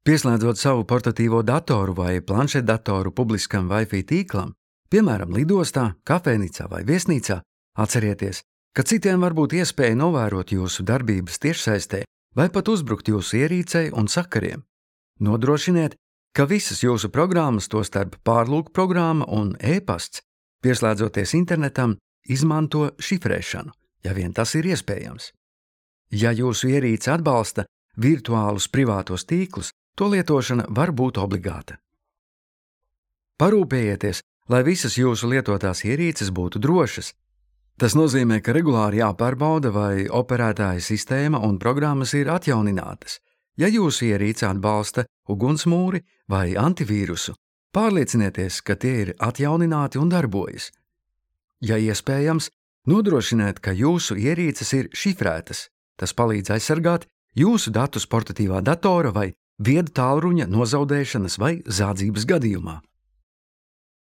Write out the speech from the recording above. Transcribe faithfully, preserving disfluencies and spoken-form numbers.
Pieslēdzot savu portatīvo datoru vai planšetdatoru publiskam Wi-Fi tīklam, piemēram, lidostā, kafejnīcā vai viesnīcā, atcerieties, ka citiem var būt iespēja novērot jūsu darbības tiešsaistē vai pat uzbrukt jūsu ierīcei un sakariem. Nodrošiniet, ka visas jūsu programmas, tostarp pārlūk programma un e-pasts, pieslēdzoties internetam, izmanto šifrēšanu, ja vien tas ir iespējams. Ja jūsu ierīce atbalsta virtuālus privātos tīklus, to lietošana var būt obligāta. Parūpējieties, lai visas jūsu lietotās ierīces būtu drošas. Tas nozīmē, ka regulāri jāpārbauda, vai operētāja sistēma un programmas ir atjauninātas. Ja jūsu ierīce atbalsta ugunsmūri vai antivīrusu, pārliecinieties, ka tie ir atjaunināti un darbojas. Ja iespējams, nodrošiniet, ka jūsu ierīces ir šifrētas. Tas palīdz aizsargāt jūsu datus portatīvā datora vai viedu tālruņa nozaudēšanas vai zādzības gadījumā.